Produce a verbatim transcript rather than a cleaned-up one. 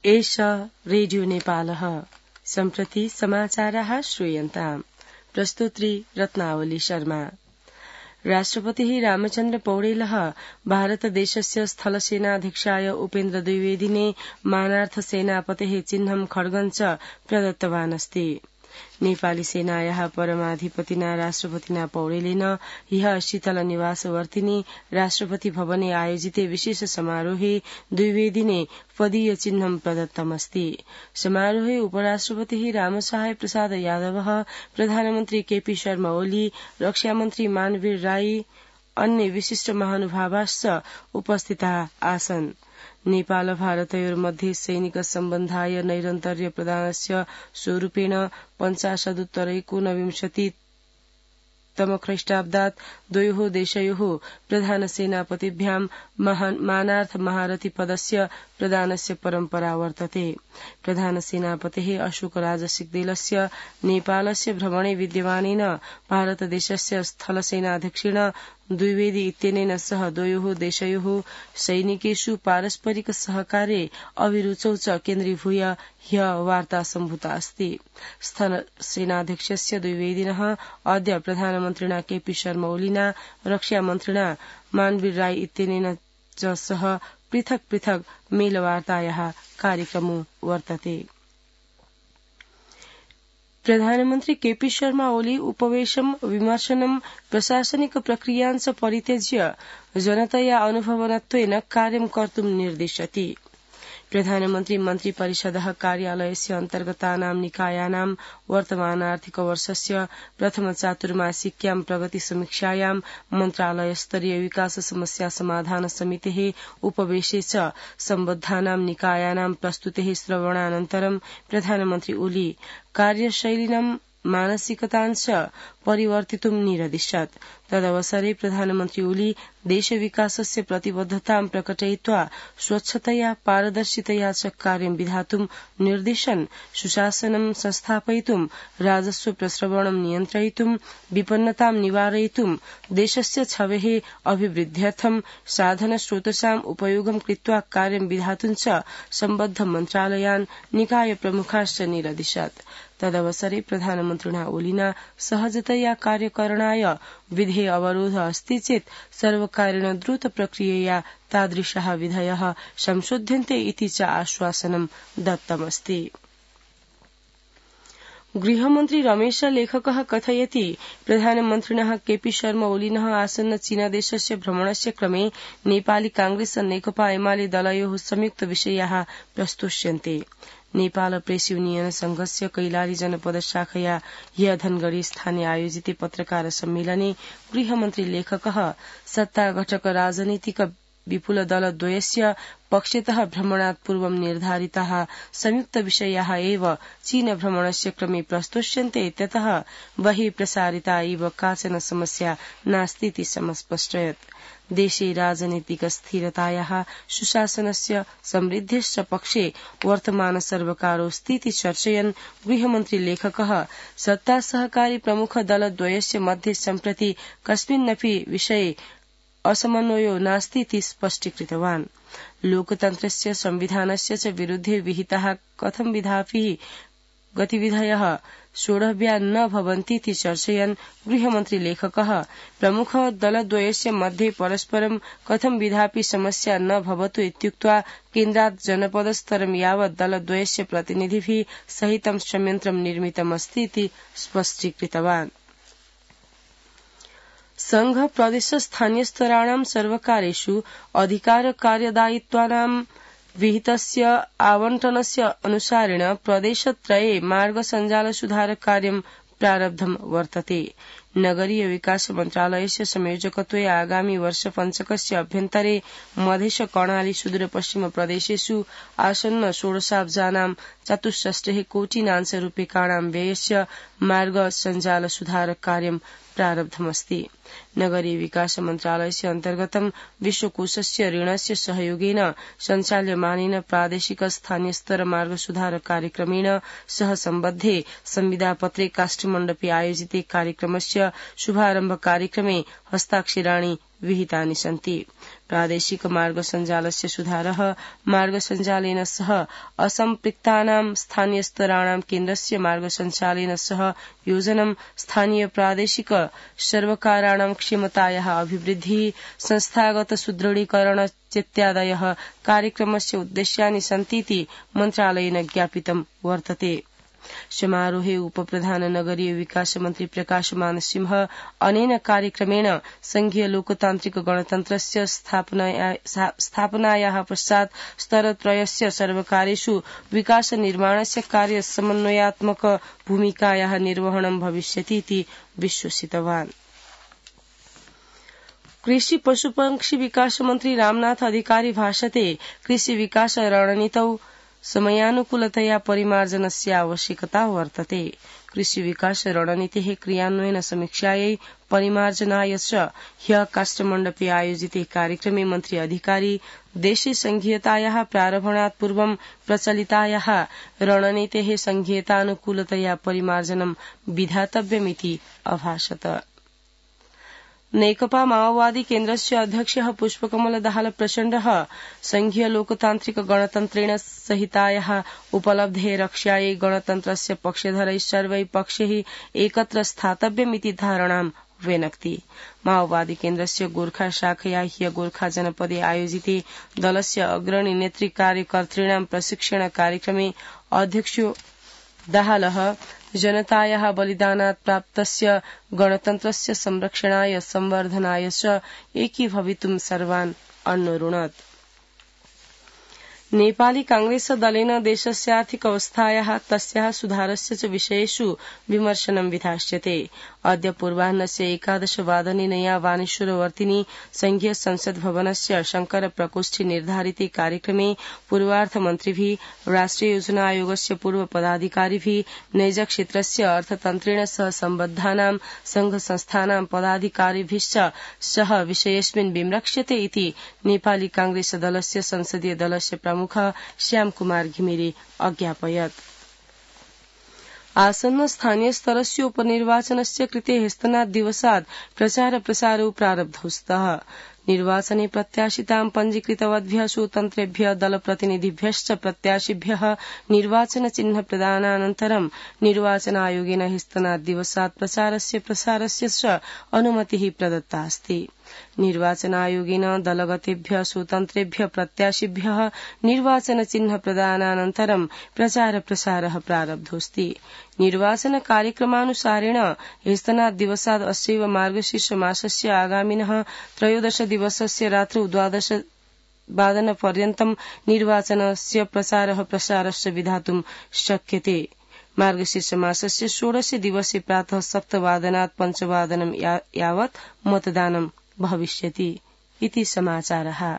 एषा रेडियो नेपालः सम्प्रति समाचाराः श्रूयन्ताम् प्रस्तुत्री रत्नावली शर्मा। राष्ट्रपतिः रामचन्द्र पौडेलः भारतदेशस्य स्थलसेनाध्यक्षाय उपेन्द्र द्विवेदिने मानार्थ सेनापतेः चिह्नं खड्गं च प्रदत्तवान् अस्ति। नेपाली सेनायाः परमाधिपतिना राष्ट्रपतिना पौडेलेन ह्यः शीतल निवासवर्तिनी राष्ट्रपति भवने आयोजिते विशेष समारोहे द्विवेदिने पदीय चिह्नं प्रदत्तमस्ति। समारोहे उपराष्ट्रपतिः रामसहाय प्रसाद यादवः, प्रधानमन्त्री केपी शर्मा ओली, रक्षामन्त्री मानवीर राई, अन्य विशिष्ट महानुभावाश्च उपस्थिताः आसन्। नेपाल भारतयोर्मध्ये सैनिक सम्बन्धाय नैरन्तर्य प्रदानस्य स्वरूपेण पञ्चाशदुत्तरैकोनविंशति तमख्रीष्टाब्दात् द्वयोः देशयोः प्रधान सेनापतिभ्यां मानार्थ महारथी पदस्य प्रदानस्य परम्परा वर्तते। प्रधान सेनापतेः अशोक राजसिग्देलस्य नेपालस्य भ्रमणे विद्यमानेन भारतदेशस्य स्थलसेनाध्यक्षेण द्विवेदी इत्यनेन सह द्वयोः देशयोः सैनिकेषु पारस्परिक सहकार्ये अभिरुचौ च केन्द्रीभूय ह्यः वार्ता सम्भूता अस्ति। स्थलसेनाध्यक्षस्य द्विवेदिनः अद्य प्रधानमन्त्रिणा केपी शर्मा ओलिना, रक्षामन्त्रिणा मानवीर राई इत्यनेन च सह पृथक् पृथक् मेलवार्तायाः कार्यक्रमो वर्तते। प्रधानमन्त्री केपी शर्मा ओली उपवेशं विमर्शनं प्रशासनिक प्रक्रियाञ्च परित्यज्य जनतया अनुभवनत्वेन कार्यं कर्तुं निर्दिशति। प्रधानमन्त्री मन्त्री परिषदः कार्यालयस्य अन्तर्गतानां निकायानां वर्तमानार्थिक वर्षस्य प्रथम चातुर्मासिक्यां प्रगति समीक्षायां मन्त्रालयस्तरीय विकास समस्या समाधान समितेः उपवेशे च सम्बद्धानां निकायानां प्रस्तुतेः श्रवणानन्तरं प्रधानमन्त्री ओली कार्यशैलिनं मानसिकताञ्च परिवर्तितुं निरदिशत्। तदवसरे प्रधानमन्त्री ओली देशविकासस्य प्रतिबद्धतां प्रकटयित्वा स्वच्छतया पारदर्शितया च कार्यं विधातुं निर्दिशन् सुशासनं संस्थापयितुं, राजस्व प्रस्रवणं नियन्त्रयितुं, विपन्नतां निवारयितुं, देशस्य छवेः अभिवृद्ध्यर्थं साधनस्रोतसाम् उपयोगं कृत्वा कार्यं विधातुं च सम्बद्ध मन्त्रालयान्, निकाय प्रमुखाश्च निरदिशत्। तदवसरे प्रधानमन्त्रिणा ओलिना सहजतया कार्यकरणाय विधेय अवरोध अस्ति चेत् सर्वकारेण द्रुत प्रक्रियया तादृशाः विधयः संशोध्यन्ते इति च आश्वासनं दत्तमस्ति। गृहमन्त्री रमेश लेखकः कथयति प्रधानमन्त्रिणः केपी शर्मा ओलिनः आसन्न चीनदेशस्य भ्रमणस्य क्रमे नेपाली कांग्रेस नेकपा एमाले दलयोः संयुक्त विषयाः प्रस्तोष्यन्ते। नेपाल प्रेस युनियन संघस्य कैलाली जनपद शाखया ह्य धनगढ़ी स्थाने आयोजिते पत्रकार सम्मेलने गृहमन्त्री लेखकः सत्ता घटक राजनीतिक विपुल दलद्वयस्य पक्षतः भ्रमणात् पूर्वं निर्धारिताः संयुक्त विषयाः एव चीन भ्रमणस्य क्रमे प्रस्तोष्यन्ते, ततः बहिः प्रसारिता इव काचन समस्या नास्तीति समस्पष्टयत्। देशे राजनीतिक स्थिरतायाः, सुशासनस्य समृद्धेश्च पक्षे वर्तमान सर्वकारोऽस्तीति चर्चयन् गृहमन्त्री लेखकः सत्ता सहकारी प्रमुख दलद्वयस्य मध्ये सम्प्रति कस्मिन्नपि विषये असमन्वयो नास्तीति स्पष्टीकृतवान्। लोकतन्त्रस्य संविधानस्य च विरुद्धे विहिताः कथं विधापि गतिविधयः सोढव्या न भवन्तीति चर्चयन् गृहमन्त्री लेखकः प्रमुख दलद्वयस्य मध्ये परस्परं कथं विधापि समस्या न भवतु इत्युक्त्वा केन्द्रात् जनपदस्तरं यावत् दलद्वयस्य प्रतिनिधिभिः सहितं संयन्त्रं निर्मितमस्ति इति स्पष्टीकृतवान्। संघ प्रदेश स्थानीयस्तराणां सर्वकारेषु अधिकार कार्यदायित्वानां विहितस्य आवंटनस्य अनुसारेण प्रदेशत्रये मार्ग सञ्जाल सुधार कार्यं प्रारब्धं वर्तते। नगरीय विकास मन्त्रालयस्य संयोजकत्वे आगामी वर्ष पञ्चकस्य अभ्यन्तरे मधेश कर्णाली सुदूर पश्चिम प्रदेशेषु आसन्न षोडशाब्जानां चतुष्षष्टिः कोटिनांश रूप्यकाणां व्ययस्य मार्ग सञ्जाल सुधार कार्यं प्रारब्धमस्ति। नगरीय विकास मन्त्रालयस्य अन्तर्गतं विश्वकोषस्य ऋणस्य सहयोगेन सञ्चाल्यमानेन प्रादेशिक स्थानीय स्तर मार्ग सुधार कार्यक्रमेण सह सम्बद्धे संविदापत्रे काष्ठमण्डपे आयोजिते कार्यक्रमस्य वर्षस्य शुभारम्भ कार्यक्रमे हस्ताक्षराणि विहितानि सन्ति। प्रादेशिक मार्ग सञ्जालस्य सुधारः मार्ग सञ्जालेन सह असम्पृक्तानां स्थानीयस्तराणां केन्द्रस्य मार्ग सञ्चालेन सह योजनं स्थानीय प्रादेशिक सर्वकाराणां क्षमतायाः अभिवृद्धिः संस्थागत सुदृढीकरण इत्यादयः कार्यक्रमस्य उद्देश्यानि सन्तीति मन्त्रालयेन ज्ञापितं वर्तते। समारोहे उपप्रधान नगरीय विकास मन्त्री प्रकाशमान सिंह अनेन कार्यक्रमेण संघीय लोकतान्त्रिक गणतन्त्रस्य स्थापनायाः पश्चात् स्तरत्रयस्य सर्वकारेषु विकास निर्माणस्य कार्य समन्वयात्मक भूमिकायाः निर्वहणं भविष्यति इति विश्वसितवान्। कृषि पशुपक्षी विकास मन्त्री रामनाथ अधिकारी भाषते कृषि विकास रणनीतौ समयानुकूलतया परिमार्जनस्य आवश्यकता वर्तते। कृषि विकास रणनीतेः क्रियान्वयन समीक्षायै परिमार्जनाय च ह्यः काष्ठमण्डपे आयोजिते कार्यक्रमे मन्त्री अधिकारी देशे संघीयतायाः प्रारम्भणात् पूर्वं प्रचलितायाः रणनीतेः संघीयतानुकूलतया परिमार्जनं विधातव्यमिति अभाषत। नेकपा माओवादी केन्द्रस्य अध्यक्षः पुष्पकमल दाहाल प्रचण्डः संघीय लोकतान्त्रिक गणतन्त्रेण सहितायाः उपलब्धेः रक्षायै गणतन्त्रस्य पक्षधरैः सर्वैः पक्षैः एकत्र स्थातव्यमिति धारणां व्यनक्ति। माओवादी केन्द्रस्य गोर्खा शाखया ह्य गोर्खा जनपदे आयोजिते दलस्य अग्रणी नेतृ कार्यकर्तॄणां प्रशिक्षण कार्यक्रमे अध्यक्षो दाहालः जनतायाः बलिदानात् प्राप्तस्य गणतन्त्रस्य संरक्षणाय संवर्धनाय च एकीभवितुं सर्वान् अन्वरुणत्। नेपाली कांग्रेस दलेन देशस्य आर्थिक अवस्थायाः तस्याः सुधारस्य च विषयेषु विमर्शनं विधास्यते। अद्य पूर्वाह्नस्य एकादश वादने नया वानेश्वरवर्तिनी संघीय संसद भवनस्य शंकर प्रकोष्ठे निर्धारिते कार्यक्रमे पूर्वार्थ मन्त्रिभिः राष्ट्रिय योजना आयोगस्य पूर्व पदाधिकारिभिः नैज क्षेत्रस्य अर्थतन्त्रेण सह सम्बद्धानां संघ संस्थानां पदाधिकारिभिश्च सह विषयेऽस्मिन् विमृक्ष्यते इति नेपाली कांग्रेस दलस्य संसदीय दलस्य प्रमुख श्याम कुमार घिमिरे अज्ञापयत्। आसन्न स्थानीय स्तरस्य उपनिर्वाचनस्य कृते ह्यस्तनात् दिवसात् प्रचार प्रसारौ प्रारब्धौ स्तः। निर्वाचने प्रत्याशितां पञ्जीकृतवद्भ्यः स्वतन्त्रेभ्यः दलप्रतिनिधिभ्यश्च प्रत्याशिभ्यः निर्वाचन चिह्न प्रदानानन्तरं निर्वाचन आयोगेन ह्यस्तनात् दिवसात् प्रचारस्य प्रसारस्य च अनुमतिः प्रदत्ता अस्ति। निर्वाचन आयोगेन दलगतेभ्यः स्वतन्त्रेभ्यः प्रत्याशिभ्यः निर्वाचन चिह्न प्रदानानन्तरं प्रचार प्रसारः प्रारब्धोऽस्ति। निर्वाचन कार्यक्रमानुसारेण ह्यस्तनात् दिवसात् अस्यैव मार्गशीर्ष मासस्य आगामिनः त्रयोदश दिवसस्य रात्रौ द्वादश वादनपर्यन्तं निर्वाचनस्य प्रचारः प्रसारश्च विधातुं शक्यते। मार्गशीर्ष मासस्य षोडशे दिवसे प्रातः सप्तवादनात् पञ्चवादनं यावत् मतदानं भविष्यति इति समाचारः।